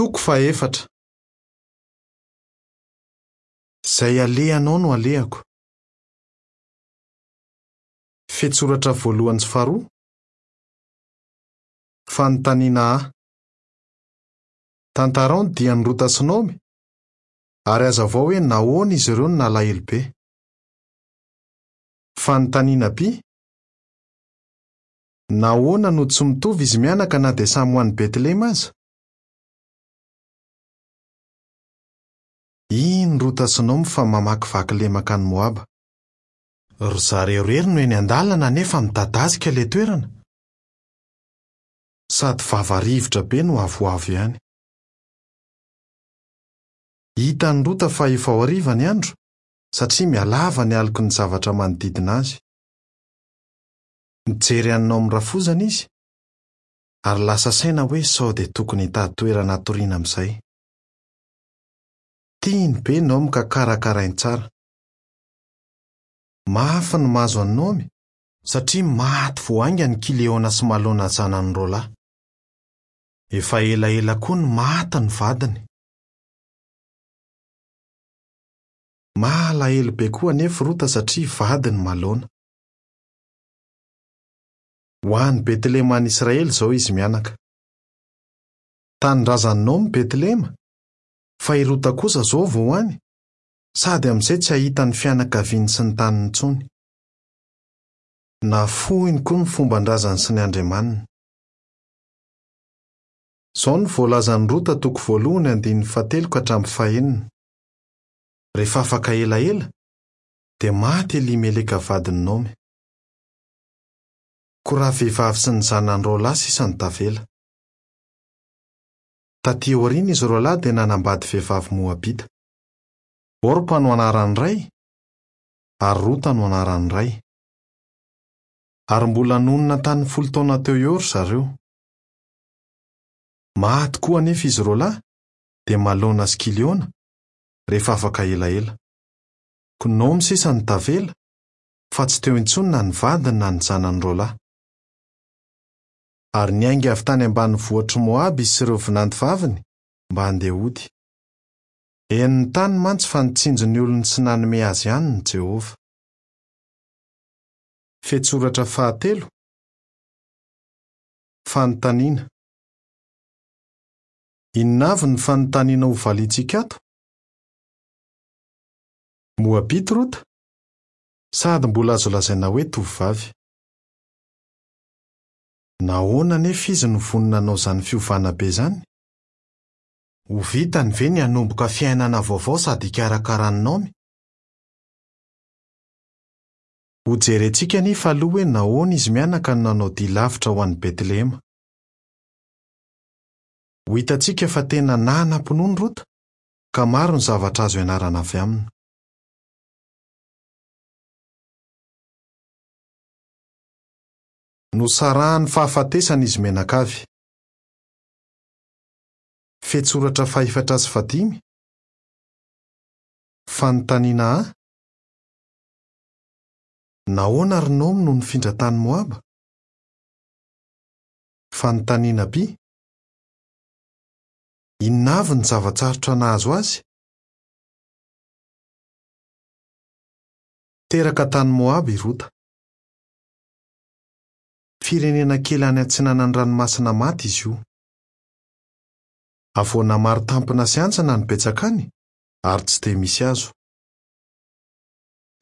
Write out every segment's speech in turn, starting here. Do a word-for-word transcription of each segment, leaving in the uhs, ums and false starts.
Toko fahefatra. Izay alehanao no alehako. Fehintsoratra voalohany sy faharoa. Fanontaniana A. Tantarao ny dian'i Rota sy Naomy ary hazavao hoe nahoana izy ireo no nalahelo be. Fanontaniana B. Nahoana no tsy mitovy izy mianaka na dia samy ho any Betlehema aza? Iny Rota sy Naomy fa mamakivaky lemaka any Moaba. Ry zareo irery no eny an-dalana nefa midadasika ilay toerana. Sady vava rivotra be no avoavo ihany. Hitan'i Rota fa efa ho hariva ny andro satria mihalava ny aloky ny zavatra manodidina azy. Mijery an'i Naomy rafozana izy ary lasa saina hoe sao dia tokony hitady toerana hatoriana amin'izay. Tiany be Naomy ka karakarainy tsara. Mafy ny mahazo an'i Naomy satria maty vao haingana i Kileona sy Malona zanany roa lahy. Efa elaela koa no maty ny vadiny. Malahelo be koa anefa Rota satria vadiny Malona. Ho any Betlehema any Israely izao izy mianaka. Tanindrazan'i Naomy Betlehema, fa i Rota kosa izao vao any, sady amin'izay tsy hahita ny fianakaviany sy ny taniny intsony. Nafohiny koa ny fomban-drazany sy ny andriamaniny. Izao no voalazan'i Rota toko voalohany andininy fahatelo ka hatramin'ny fahenina. Rehefa afaka elaela, dia maty Elimeleka vadin'i Naomy. Koa raha vehivavy sy ny zanany roa lahy sisa no tavela. Taty aoriana izy roa lahy dia nanambady vehivavy Moabita. Orpa no anaran'ny iray ary Rota no anaran'ny iray. Ary mbola nonina tany folo taona teo eo ry zareo. Maty koa anefa izy roa lahy, dia Malona sy Kiliona, rehefa afaka elaela. Koa Naomy sisa no tavela, fa tsy teo intsony na ny vadiny na ny zanany roa lahy. Ary niainga avy tany ambanivohitr'i Moaba izy sy ireo vinanto vaviny mba handeha hody. Henony tany mantsy fa nitsinjo ny olony sy nanome azy hanina Jehovah. Fehintsoratra fahatelo. Fanontaniana. Inona avy ny fanontaniana ho valiantsika ato? Moabita Rota, sady mbola azo lazaina hoe tovovavy. Nahoana anefa izy no vonona hanao izany fiovana be izany? Ho vitany ve ny hanomboka fiainana vaovao sady hikarakara an'i Naomy? Hojerentsika anefa aloha hoe nahoana izy mianaka no nanao dia lavitra ho any Betlehema. Ho hitantsika fa tena nanam-pinoana Rota, ka maro ny zavatra azo ianarana avy aminy. Nosarahan'ny fahafatesana izy mianakavy. Fehintsoratra fahefatra sy fahadimy. Fanontaniana A. Nahoana ry Naomy no nifindra tany Moaba? Fanontaniana B. Inona avy ny zava-tsarotra nahazo azy? Teraka tany Moaba i Rota. Firenena kely any atsinanan'ny ranomasina maty izy io. Havoana maro tampina sy hantsana no betsaka any ary tsy dia misy hazo.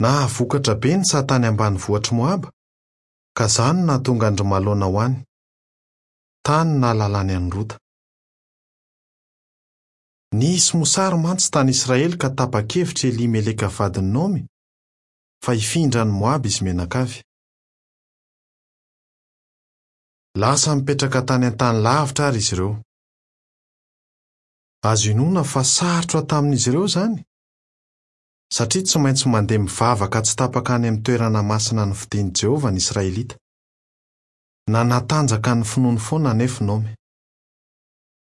Nahavokatra be ny saha tany ambanivohitr'i Moaba, ka izany no nahatonga an-dry Malona ho any. Tany no nahalalany an'i Rota. Nisy mosary mantsy tany Israely ka tapa-kevitra Elimeleka vadin'i Naomy fa hifindra any Moaba izy mianakavy. Lasa nipetraka tany an-tany lavitra ary izy ireo. Azo inoana fa sarotra tamin'izy ireo izany, satria tsy maintsy mandeha mivavaka tsy tapaka any amin'ny toerana masina nofidin'i Jehovah ny Israelita. Nanatanjaka ny finoany foana anefa Naomy.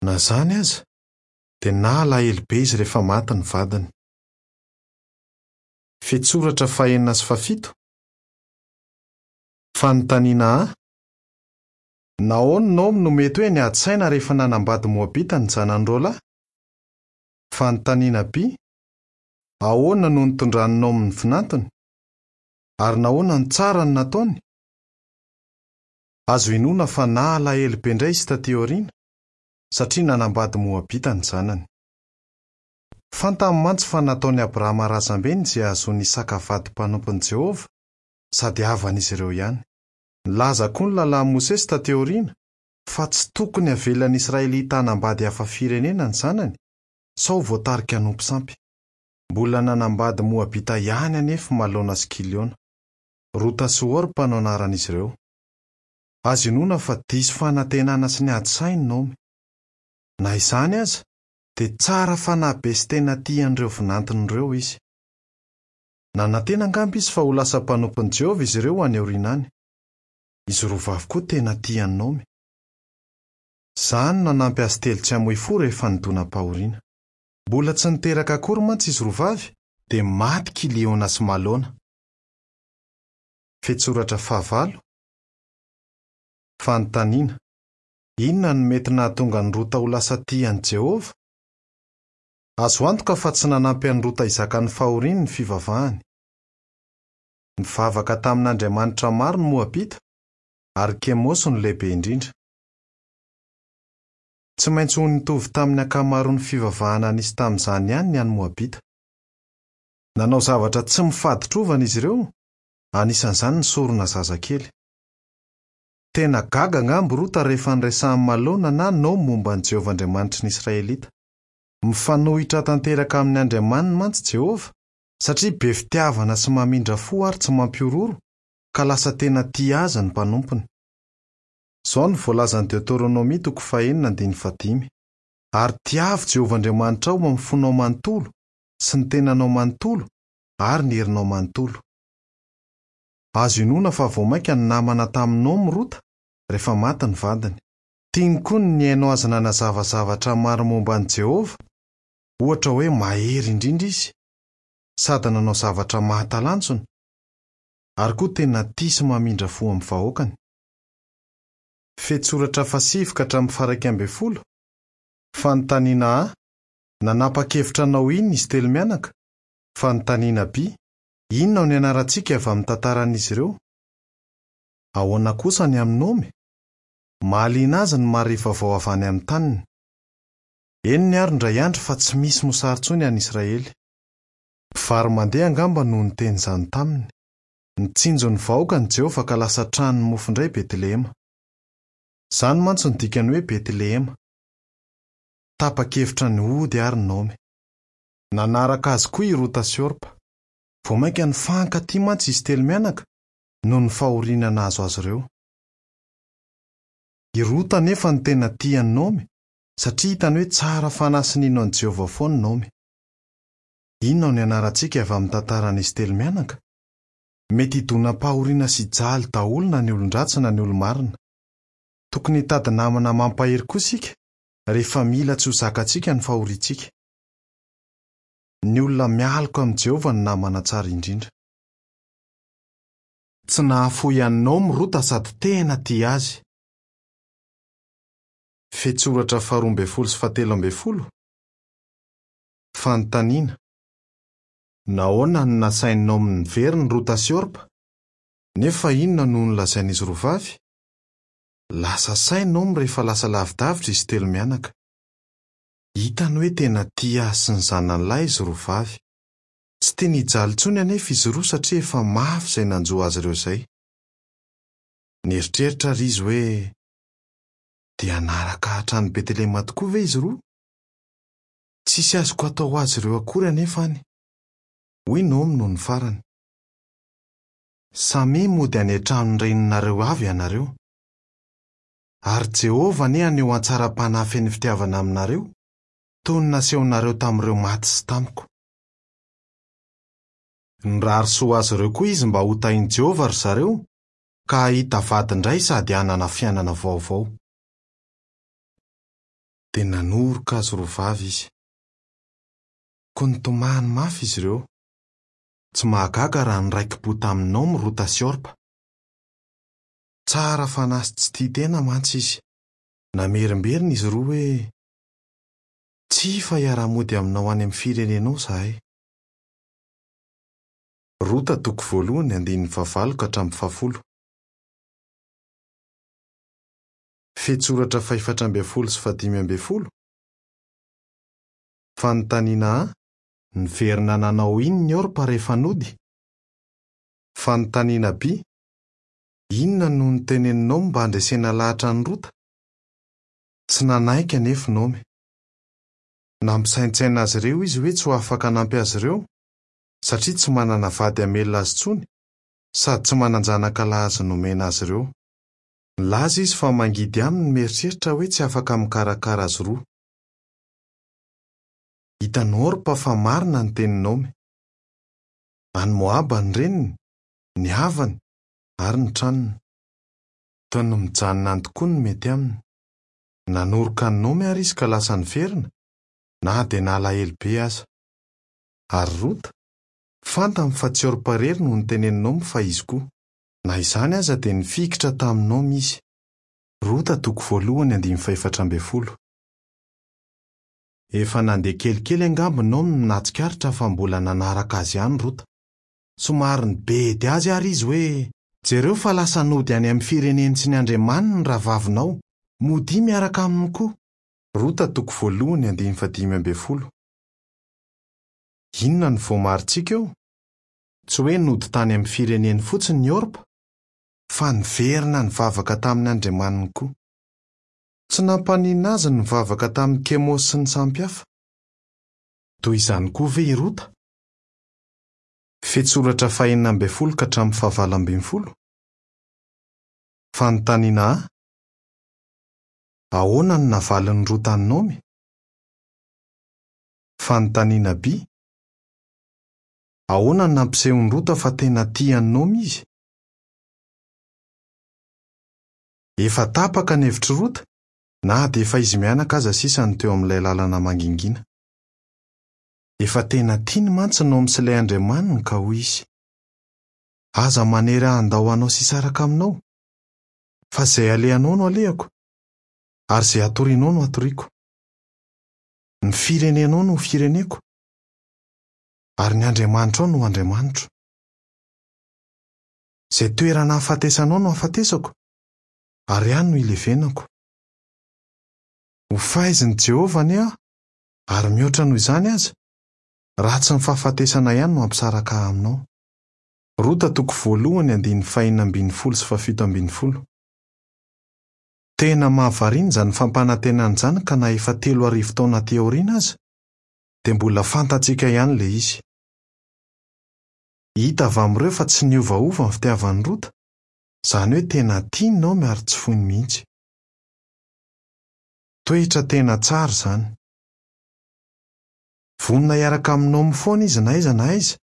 Na izany aza, dia nalahelo be izy rehefa maty ny vadiny. Fehintsoratra fahenina sy fahafito. Fanontaniana A. Nahoana Naomy no mety hoe niady saina rehefa nanambady Moabita ny zanany roa lahy? Fanontaniana B. Ahoana no nitondran'i Naomy ny vinantony? Ary nahoana no tsara ny nataony? Azo inoana fa nalahelo be indray izy taty aoriana, satria nanambady Moabita ny zanany. Fantany mantsy fa nataon'i Abrahama razambeny izay hahazoan'i Isaka vady mpanompon'i Jehovah, sady havan'izy ireo ihany. Nilaza koa ny lalàn'i Mosesy taty aoriana fa tsy tokony havelan'ny Israelita hanambady hafa firenena ny zanany, sao voatarika hanompo sampy. Mbola nanambady Moabita ihany anefa Malona sy Kiliona. Rota sy Orpa no anaran'izy ireo. Azo inoana fa diso fanantenana sy niady saina Naomy. Na izany aza, dia tsara fanahy be sy tena tia an'ireo vinantiny ireo izy. Nanantena angamba izy fa ho lasa mpanompon'i Jehovah izy ireo any aoriana any. Izy roa vavy koa tena tia an'i Naomy. Izany no nanampy azy telo tsy hamoy fo rehefa nidonam-pahoriana. Mbola tsy niteraka akory mantsy izy roa vavy, dia maty Kiliona sy Malona. Fehintsoratra fahavalo. Fanontaniana. Inona no mety nahatonga an'i Rota ho lasa tia an'i Jehovah? Azo antoka fa tsy nanampy an'i Rota hizaka ny fahoriany ny fivavahany. Nivavaka tamin'Andriamanitra maro ny Moabita, ary Kemosy no lehibe indrindra. Tsy maintsy ho nitovy tamin'ny ankamaroan'ny fivavahana nisy tamin'izany ihany ny an'ny Moabita. Nanao zavatra tsy mifaditrovana izy ireo, anisan'izany ny sorona zazakely. Tena gaga angamba Rota rehefa niresahan'i Malona na Naomy momba an'i Jehovah Andriamanitry ny Israelita. Mifanohitra tanteraka amin'ny Andriamaniny mantsy Jehovah, satria be fitiavana sy mamindra fo ary tsy mampihorohoro, ka lasa tena tia azy ny mpanompony. Izao no voalazan'ny Deoteronomia toko fahenina andininy fahadimy. Ary tiavo Jehovah Andriamanitrao amin'ny fonao manontolo sy ny tenanao manontolo ary ny herinao manontolo. Azo inoana fa vao mainka ny namana tamin'i Naomy Rota rehefa maty ny vadiny. Tiany koa ny nihaino azy nanazava zavatra maro momba an'i Jehovah, ohatra hoe mahery indrindra izy, sady nanao zavatra mahatalanjona, ary koa tena tia sy mamindra fo amin'ny vahoakany. Fehintsoratra fahasivy ka hatramin'ny faha-iraika ambin'ny folo. Fanontaniana A. Nanapa-kevitra hanao inona izy telo mianaka? Fanontaniana B. Inona no nianarantsika avy amin'ny tantaran'izy ireo? Ahoana kosa ny amin'i Naomy? Mahaliana azy ny mahare vaovao avy any amin'ny taniny. Henony ary indray andro fa tsy misy mosary intsony any Israely. Mpivaro-mandeha angamba no niteny izany taminy. Nitsinjo ny vahoakany Jehovah ka lasa tranon'ny mofo indray Betlehema. Izany mantsy no dikany hoe Betlehema. Tapa-kevitra ny hody ary Naomy. Nanaraka azy koa i Rota sy Orpa. Vao mainka nifankatia mantsy izy telo mianaka noho ny fahoriana nahazo azy ireo. I Rota anefa no tena tia an'i Naomy, satria hitany hoe tsara fanahy sy nino an'i Jehovah foana Naomy. Inona no nianarantsika avy amin'ny tantaran'izy telo mianaka? Mety hidonam-pahoriana sy hijaly daholo na ny olon-dratsy na ny olo-marina. Tokony hitady namana mampahery koa isika rehefa mila tsy ho zakantsika ny fahoriantsika. Ny olona mialoka amin'i Jehovah no namana tsara indrindra. Tsy nahafoy an'i Naomy Rota sady tena tia azy. Fehintsoratra faharoa ambin'ny folo sy fahatelo ambin'ny folo. Fanontaniana. Nahoana no nasain'i Naomy niverina Rota sy Orpa? Nefa inona no nolazain'izy roa vavy? Lasa saina Naomy rehefa lasa lavidavitra izy telo mianaka. Hitany hoe tena tia azy sy ny zanany lahy izy roa vavy. Tsy tiany hijaly intsony anefa izy roa satria efa mafy izay nanjo azy ireo izay. Nieritreritra ary izy hoe dia hanaraka hatrany Betlehema tokoa ve izy roa? Tsisy azoko atao ho azy ireo akory anefa any. Hoy Naomy noho ny farany. Samia mody any an-tranon'ny reninareo avy ianareo. Ary Jehovah anie haneho hatsaram-panahy feno fitiavana aminareo, toy ny nasehonareo tamin'ireo maty sy tamiko. Nirary soa azy ireo koa izy mba ho tahin'i Jehovah ry zareo, ka hahita vady indray sady hanana fiainana vaovao. Dia nanoroka azy roa vavy izy. Koa nitomany mafy izy ireo. Tsy mahagaga raha niraiki-po tamin'i Naomy Rota sy Orpa. Tsara fanahy sy tsy tia tena mantsy izy. Namerimberina izy roa hoe: "Tsia fa hiara-mody aminao any amin'ny firenenao izahay." Rota toko voalohany andininy fahavalo ka hatramin'ny fahafolo. Fehintsoratra fahefatra ambin'ny folo sy fahadimy ambin'ny folo. Fanontaniana A: Niverina nanao inona i Orpa rehefa nody? Fanontaniana B: Inona no notenenin'i Naomy mba handresena lahatra an'i Rota? Tsy nanaiky anefa i Naomy. Nampisaintsaina azy ireo izy hoe tsy ho afaka hanampy azy ireo, satria tsy manana vady hamelona azy intsony, sady tsy manan-janaka lahy azo nomena azy ireo. Nilaza izy fa mangidy aminy ny mieritreritra hoe tsy afaka mikarakara azy roa. Hitan'i Orpa fa marina ny tenin'i Naomy. Any Moaba ny reniny, ny havany ary ny tranony. Toy ny mijanona any tokoa no mety aminy. Nanoroka an'i Naomy àry izy ka lasa niverina, na dia nalahelo be aza. Ary Rota? Fantany fa tsy Orpa irery no notenenin'i Naomy fa izy koa. Na izany aza dia nifikitra tamin'i Naomy izy. Rota toko voalohany andininy fahefatra ambin'ny folo. Efa nandeha kelikely angamba Naomy no nahatsikaritra fa mbola nanaraka azy ihany Rota. Somary nibedy azy àry izy hoe: "Jereo fa lasa nody any amin'ny fireneny sy ny andriamaniny ny rahavavinao. Modia miaraka aminy koa." Rota toko voalohany andininy fahadimy ambin'ny folo. Inona no voamarintsika eo? Tsy hoe nody tany amin'ny fireneny fotsiny i Orpa, fa niverina nivavaka tamin'ny andriamaniny koa. Tsy nampaninona azy ny nivavaka tamin'i Kemosy sy ny sampy hafa. Toy izany koa ve i Rota? Fehintsoratra fahenina ambin'ny folo ka hatramin'ny fahavalo ambin'ny folo. Fanontaniana A: Ahoana no navalin'i Rota an'i Naomy? Fanontaniana B: Ahoana no nampisehon'i Rota fa tena tia an'i Naomy izy? Efa tapaka ny hevitr'i Rota, na dia efa izy mianaka aza sisa no teo amin'ilay lalana mangingina. Efa tena tiany mantsy Naomy sy ilay andriamaniny ka hoy izy: "Aza manery ahy handao anao sy hisaraka aminao, fa izay alehanao no alehako, ary izay atorianao no atoriako. Ny firenenao no ho fireneko, ary ny andriamanitrao no ho andriamanitro. Izay toerana hahafatesanao no hahafatesako, ary any no hilevenako. Ho faizin'i Jehovah anie aho, ary mihoatra noho izany aza, raha tsy ny fahafatesana ihany no hampisaraka ahy aminao." Rota toko voalohany andininy fahenina ambin'ny folo sy fahafito ambin'ny folo. Tena mahavariana izany fampanantenana izany ka na efa telo arivo taona aty aoriana aza, dia mbola fantatsika ihany ilay izy. Hita avy amin'ireo fa tsy niovaova ny fitiavan'i Rota, izany hoe tena tiany Naomy ary tsy foiny mihitsy. Toetra tena tsara izany. Vonona hiaraka amin'i Naomy foana izy na aiza na aiza,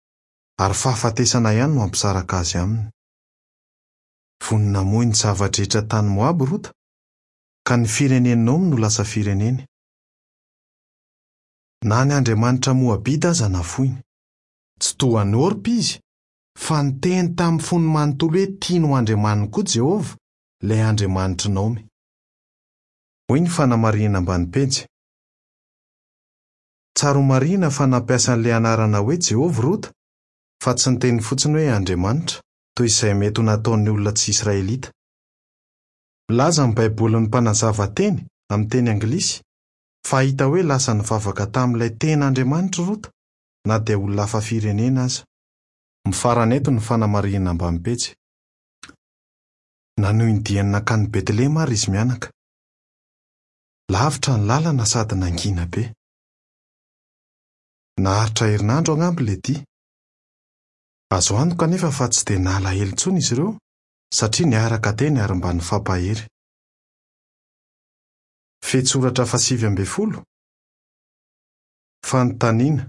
ary fahafatesana ihany no hampisaraka azy aminy. Vonona hamoy ny zava-drehetra tany Moaba Rota, ka ny firenen'i Naomy no lasa fireneny. Na ny andriamanitra Moabita aza nafoiny. Tsy toa an'i Orpa izy, fa niteny tamin'ny fony manontolo hoe tiany ho andriamaniny koa Jehovah, ilay andriamanitr'i Naomy. Hoy ny fanamarihana ambany pejy. Tsara ho marihina fa nampiasa an'ilay anarana hoe Jehovah Rota, fa tsy niteny fotsiny hoe Andriamanitra, toy izay mety ho nataon'ny olona tsy Israelita. Milaza ny Baibolin'ny mpanazava teny amin'ny teny anglisy fa hita hoe lasa nivavaka tamin'ilay tena Andriamanitra Rota, na dia olona hafa firenena aza. Mifarana eto ny fanamarihana ambany pejy. Nanohy ny diany nankany Betlehema ary izy mianaka. Lavitra ny lalana sady nangina be. Naharitra herinandro angamba ilay dia. Azo antoka anefa fa tsy dia nalahelo intsony izy ireo, satria niaraka teny ary mba nifampahery. Fehintsoratra fahasivy ambin'ny folo. Fanontaniana: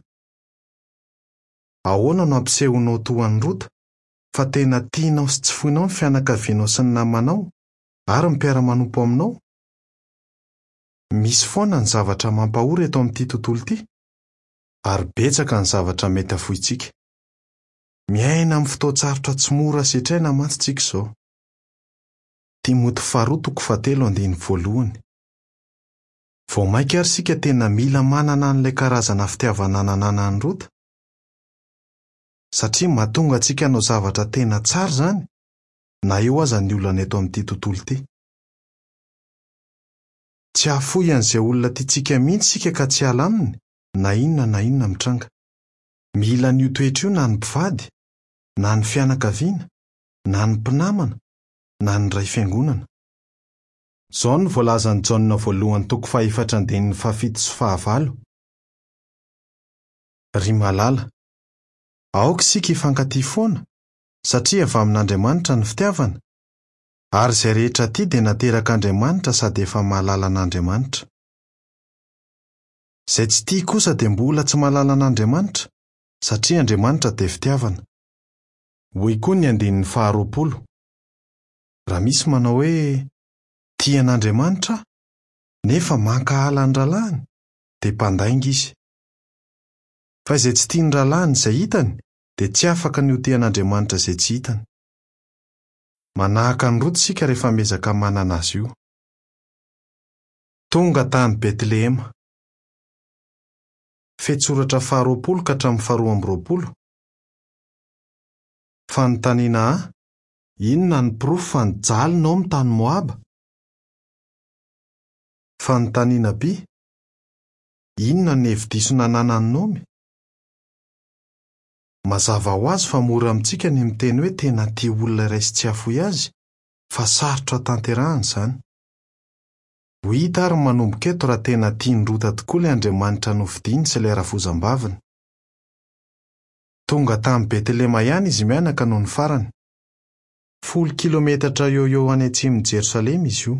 Ahoana no ampisehonao toa an'i Rota fa tena tianao sy tsy foinao ny fianakavianao sy ny namanao ary ny mpiara-manompo aminao? Misy foana ny zavatra mampahory eto amin'ity tontolo ity, ary betsaka ny zavatra mety hafointsika. Miaina amin'ny fotoan-tsarotra tsy mora setraina mantsy tsika izao. Timoty faharoa toko fahatelo andininy voalohany. Vao mainka ary isika tena mila manana an'ilay karazana fitiavana nananan'i Rota, satria mahatonga antsika hanao zavatra tena tsara izany, na eo aza ny olana eto amin'ity tontolo ity. Tsy hahafoy an'izay olona tiantsika mihitsy isika ka tsy hiala aminy, na inona na inona mitranga. Mila an'io toetra io na ny mpivady, na ny fianakaviana, na ny mpinamana, na ny ray fiangonana. Izao no voalazan'i Jaona voalohany toko fahefatra andininy fahafito sy fahavalo. Ry malala, aoka isika hifankatia foana, satria avy amin'Andriamanitra ny fitiavana, ary izay rehetra tia dia naterak'Andriamanitra sady efa mahalala an'Andriamanitra. Izay tsy tia kosa dia mbola tsy mahalala an'Andriamanitra, satria Andriamanitra dia fitiavana. Hoy koa ny andininy faharoapolo. Raha misy manao hoe tia an'Andriamanitra aho, nefa mankahala ny rahalahiny, dia mpandainga izy. Fa izay tsy tia ny rahalahiny izay hitany, dia tsy afaka ny ho tia an'Andriamanitra izay tsy hitany. Manahaka an'i Rota isika rehefa miezaka manana azy io. Tonga tany Betlehema. Fehintsoratra faharoapolo ka hatramin'ny faharoa amby roapolo. Fanontaniana A: inona ny porofo fa nijaly Naomy tany Moaba? Fanontaniana B: inona ny hevi-diso nananan'i Naomy? Mazava ho azy fa mora amintsika ny miteny hoe tena tia olona iray sy tsy hahafoy azy, fa sarotra tanterahana izany. Ho hita ary manomboka eto raha tena tian'i Rota tokoa ilay Andriamanitra nofidiny sy ilay rafozam-baviny. Tonga tany Betlehema ihany izy mianaka noho ny farany. Folo kilometatra eo eo any atsimon'i Jerosalema izy io.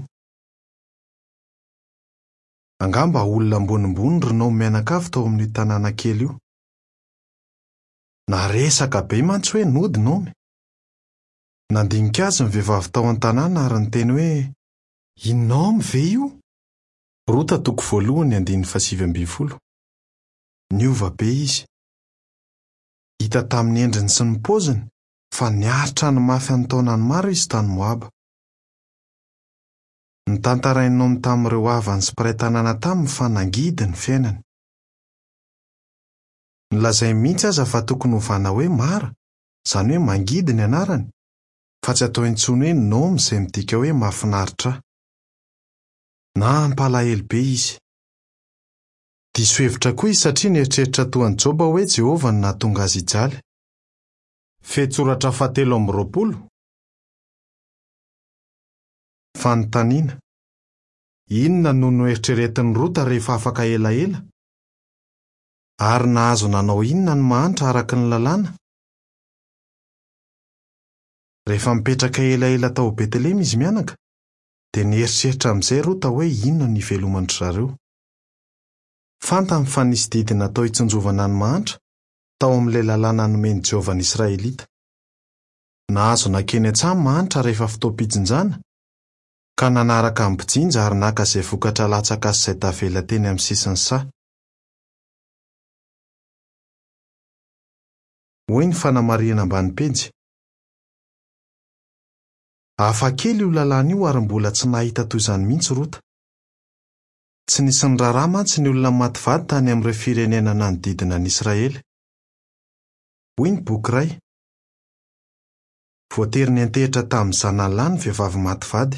Angamba olona ambonimbony ry Naomy mianakavy tao amin'io tanàna kely io. Naresaka be mantsy hoe nody Naomy. Nandinika azy ny vehivavy tao an-tanàna ary niteny hoe i Naomy ve io? Rota toko voalohany andininy fahasivy ambin'ny folo. Niova be izy. Hita tamin'ny endriny sy ny paoziny fa niaritra ny mafy an-taonany maro izy tany Moaba. Notantarain'i Naomy tamin'ireo havany sy mpiray tanàna taminy fa nangidy ny fiainany. Nolazainy mihitsy aza fa tokony hovana hoe Mara, izany hoe mangidy ny anarany, fa tsy atao intsony hoe Naomy izay midika hoe mahafinaritra. Nampalahelo be izy. Diso hevitra koa izy satria nieritreritra toa an'i Joba hoe Jehovah no nahatonga azy hijaly. Fehintsoratra fahatelo amby roapolo. Fanontaniana: inona no noeritreretin'i Rota rehefa afaka elaela? Ary nahazo nanao inona ny mahantra araka ny lalàna? Rehefa mipetraka elaela tao Betlehema izy mianaka, dia nieritreritra amin'izay Rota hoe inona no hiveloman-dry zareo. Fantany fa nisy didy natao hitsinjovana ny mahantra tao amin'ilay lalàna nomen'i Jehovah ny Israelita. Nahazo nankeny an-tsaha ny mahantra rehefa fotoam-pijinjana, ka nanaraka ny mpijinja ary naka izay vokatra latsaka sy izay tavela teny amin'ny sisin'ny saha. Hoy ny fanamarihana ambany pejy. Hafa kely io lalàna io ary mbola tsy nahita toy izany mihitsy Rota. Tsy nisy niraharaha mantsy ny olona maty vady tany amin'ireo firenena nanodidina an'i Israely. Hoy ny boky iray. Voatery niantehitra tamin'ny zanany lahy ny vehivavy maty vady.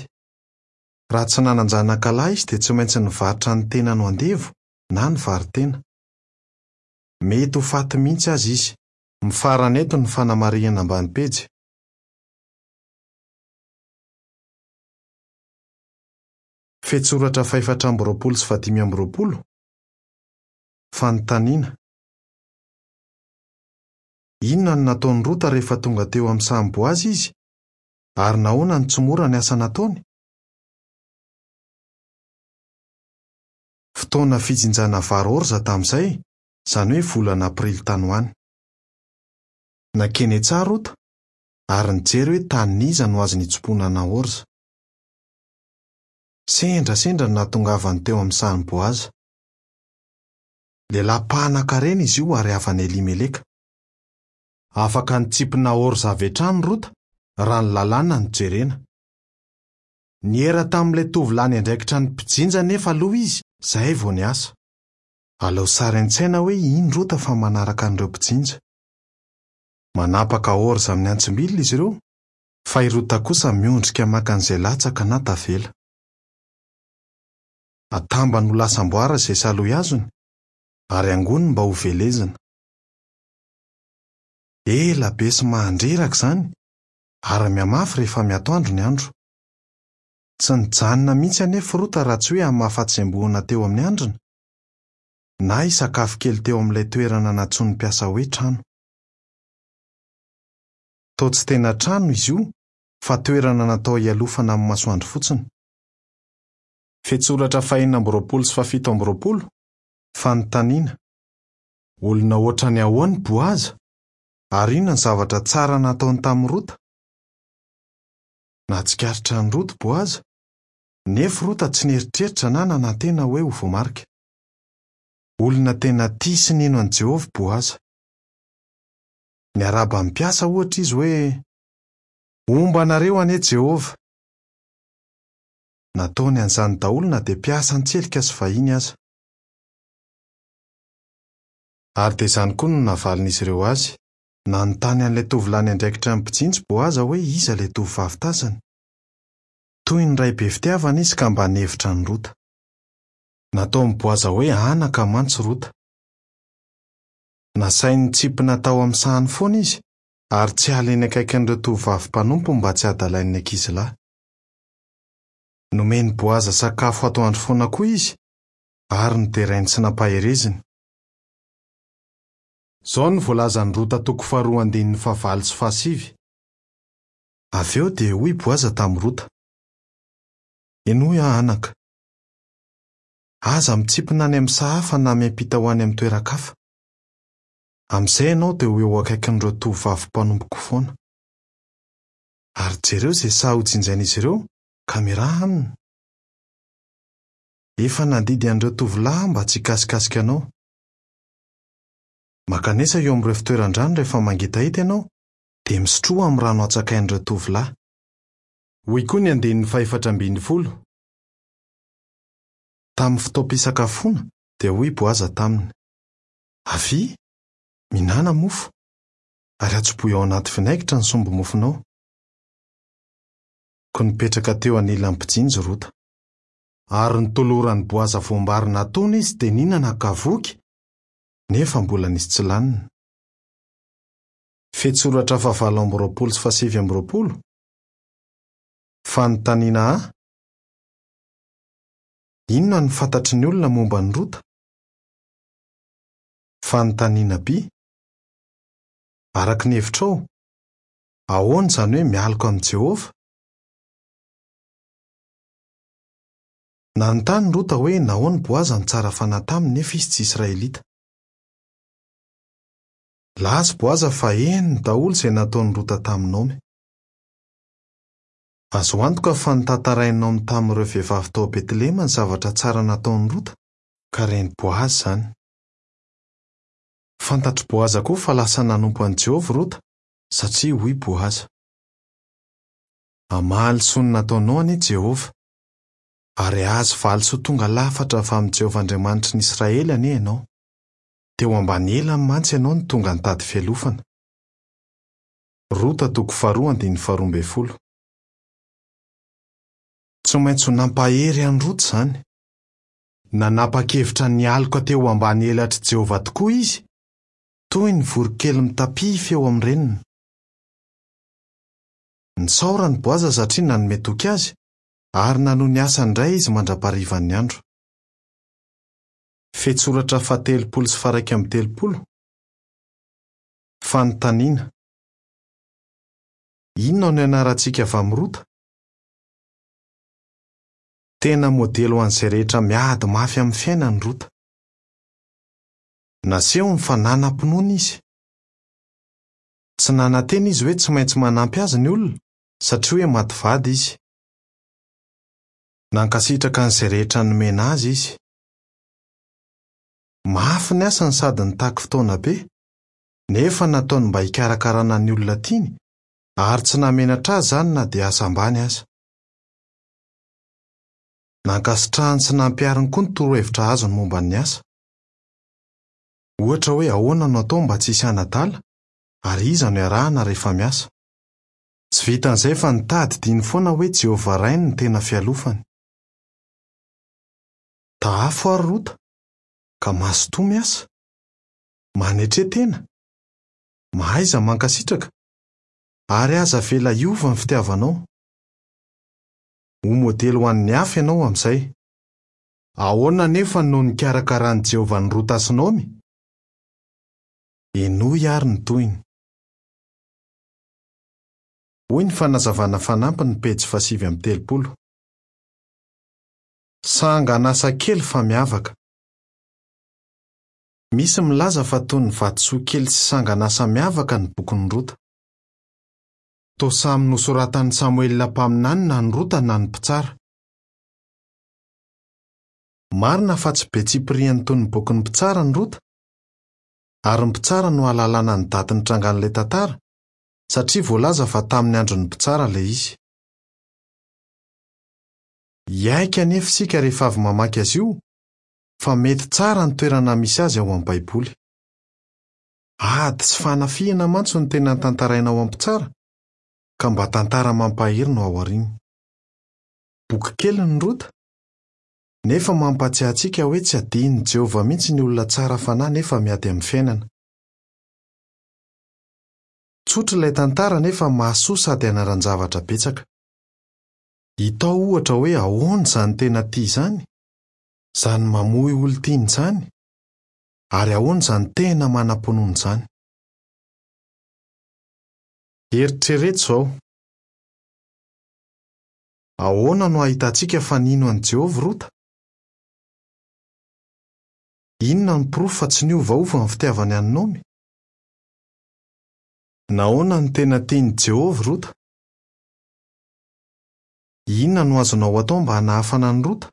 Raha tsy nanan-janaka lahy izy dia tsy maintsy nivarotra ny tenany ho andevo na nivaro-tena. Mety ho faty mihitsy aza izy. Mifarana eto ny fanamarihana ambany pejy. Fehintsoratra fahefatra amby roapolo sy fahadimy amby roapolo. Fanontaniana: inona no nataon'i Rota rehefa tonga teo amin'ny sahan'i Boaza izy, ary nahoana no tsy mora ny asa nataony? Fotoana fijinjana vary orza tamin'izay, izany hoe volana aprily tany ho any. Nankeny an-tsaha Rota ary nijery hoe tanin'iza no azony hitsimponana orza. Sendrasendra no nahatongavany teo amin'ny sahan'i Boaza. Lehilahy mpanan-karena izy io ary havan'i Elimeleka. Afaka nitsimpona orza avy hatrany Rota raha ny lalàna no jerena. Niera tamin'ilay tovolahy niandraikitra ny mpijinja anefa aloha izy izay vao niasa. Alao sary an-tsaina hoe iny Rota fa manaraka an'ireo mpijinja. Manapaka orza amin'ny antsim-bilona izy ireo, fa i Rota kosa miondrika maka an'izay latsaka na tavela. Atambany ho lasa amboara izay salohy azony, ary angoniny mba ho velezina. Ela be sy mahandreraka izany, ary mihamafy rehefa miatoandro ny andro. Tsy nijanona mihitsy anefa Rota raha tsy hoe hamafa tsembohana teo amin'ny handrina, na hisakafo kely teo amin'ilay toerana nantsoin'ny mpiasa hoe trano. Toa tsy tena trano izy io, fa toerana natao hialofana amin'ny masoandro fotsiny. Fetsoratra fahenina amby roapolo sy fahafito amby roapolo. Fanontaniana: olona ohatrany ahoana i Boaza? Ary inona ny zavatra tsara nataony tamin'i Rota? Nahatsikaritra an'i Rota Boaza, nefa Rota tsy nieritreritra na nanantena hoe ho voamarika. Olona tena tia sy nino an'i Jehovah Boaza. Niarahaba ny mpiasa ohatra izy hoe: "Homba anareo anie Jehovah." Nataony an'izany daholo na dia mpiasa an-tselika sy vahiny aza. Ary dia izany koa no navalin'izy ireo azy. Nanontany an'ilay tovolahy niandraikitra ny mpijinja Boaza hoe iza ilay tovovavy tazany. Toy ny ray be fitiavana izy ka mba nihevitra an'i Rota. Nataon'i Boaza hoe anaka mantsy Rota. Nasainy nitsipina tao amin'ny sahany foana izy, ary tsy hiala eny akaikin'ireo tovovavy mpanompo mba tsy hadalain'ny ankizilahy. Nomen'i Boaza sakafo atoandro foana koa izy, ary noderainy sy nampahereziny. Izao no voalazan'i Rota toko faharoa andininy fahavalo sy fahasivy. Avy eo dia hoy Boaza tamin'i Rota: "Henoy aho anaka. Aza mitsipina any amin'ny saha hafa na miampita ho any amin'ny toeran-kafa. Amin'izay ianao dia ho eo akaikin'ireo tovovavy mpanompoko foana. Ary jereo izay saha hojinjain'izy ireo ka miaraha aminy. Efa nandidy an'ireo tovolahy mba tsy hikasikasika anao. Mankanesa eo amin'ireo fitoeran-drano rehefa mangetaheta ianao, dia misotroa amin'ny rano atsakain'ireo tovolahy." Hoy koa ny andininy fahefatra ambin'ny folo. Tamin'ny fotoam-pisakafoana dia hoy Boaza taminy: "Avia, mihinàna mofo, ary atsobohy ao anaty vinaigitra ny sombi-mofonao." Koa nipetraka teo anilan'ny mpijinja Rota. Ary nitoloran'i Boaza voambary natono izy dia nihinana ka voky, nefa mbola nisy tsy lanina. Fetsoratra fahavalo amby roapolo sy fahasivy amby roapolo. Fanontaniana A: inona no fantatry ny olona momba an'i Rota? Fanontaniana B: araka ny hevitrao, ahoana izany hoe mialoka amin'i Jehovah? Nanontany Rota hoe nahoana Boaza no tsara fanahy taminy nefa izy tsy Israelita. Laza Boaza fa henony daholo izay nataon'i Rota tamin'i Naomy. Azo antoka fa notantarain'i Naomy tamin'ireo vehivavy tao Betlehema ny zavatra tsara nataon'i Rota, ka ren'i Boaza izany. Fantatr'i Boaza koa fa lasa nanompo an'i Jehovah Rota, satria hoy Boaza: "Hamaly soa ny nataonao anie Jehovah, ary hahazo valisoa tonga lafatra avy amin'i Jehovah Andriamanitry ny Israely anie ianao. Teo ambany elany mantsy ianao no tonga nitady fialofana." Rota toko faharoa andininy faharoa ambin'ny folo. Tsy maintsy ho nampahery an'i Rota izany. Nanapa-kevitra nialoka teo ambany elatr'i Jehovah tokoa izy, toy ny voronkely mitapify eo amin'ny reniny. Nisaorany Boaza satria nanome toky azy, ary nanohy ny asany indray izy mandra-paharivan'ny andro. Fetsoratra fahatelopolo sy faharaika amby telopolo. Fanontaniana: inona no ianarantsika avy amin'i Rota? Tena modely ho an'izay rehetra miady mafy amin'ny fiainany Rota. Nasehony fa nanam-pinoana izy. Tsy nanantena izy hoe tsy maintsy manampy azy ny olona, satria hoe maty vady izy. Nankasitraka an'izay rehetra nomena azy izy. Mafy ny asany sady nitaky fotoana be, nefa nataony mba hikarakarana ny olona tiany, ary tsy namenatra azy izany na dia asa ambany aza. Nankasitrahany sy nampihariny koa ny torohevitra azony momba ny asa. Ohatra hoe ahoana no atao mba tsy hisy hanadala, ary iza no iarahana rehefa miasa. Tsy vitan'izay fa nitadidiany foana hoe Jehovah Rainy no tena fialofany. Tahafo ary Rota, ka mazotoa miasa. Manetre tena. Mahaiza mankasitraka. Ary aza avela hiova ny fitiavanao. Ho modely ho an'ny hafa ianao amin'izay. Ahoana anefa no nikarakaran'i Jehovah an'i Rota sy Naomy? Henoy àry ny tohiny. Hoy ny fanazavana fanampiny pejy fahasivy amby telopolo. Sangan'asa kely fa miavaka. Misy milaza fa toy ny vatosoa kely sy sangan'asa miavaka ny bokin'i Rota. Toa samy nosoratan'i Samoela mpaminany na ny Rota na ny mpitsara. Marina fa tsy be tsipiriany toy ny bokin'ny mpitsara ny Rota, ary ny mpitsara no ahalalana ny daty nitrangan'ilay tantara, satria voalaza fa tamin'ny andron'ny mpitsara ilay izy. Hiaiky anefa isika rehefa avy mamaky azy io fa mety tsara ny toerana misy azy ao amin'ny Baiboly. Ady sy fanafihana mantsy no tena tantaraina ao amin'ny mpitsara, ka mba tantara mampahery no ao aoriany. Boky kely ny Rota, nefa mampahatsiahy antsika hoe tsy adinon'i Jehovah mihitsy ny olona tsara fanahy nefa miady amin'ny fiainana. Tsotra ilay tantara nefa mahasoa sady ianaran-javatra betsaka. Hita ao ohatra hoe ahoana izany tena tia izany, izany mamoy olon-tiana izany, ary ahoana izany tena manam-pinoana izany. Eritrereto izao. Ahoana no ahitantsika fa nino an'i Jehovah Rota? Inona no porofo fa tsy niovaova ny fitiavany an'i Naomy? Nahoana no tena tian'i Jehovah Rota? Inona no azonao atao mba hanahafana an'i Rota?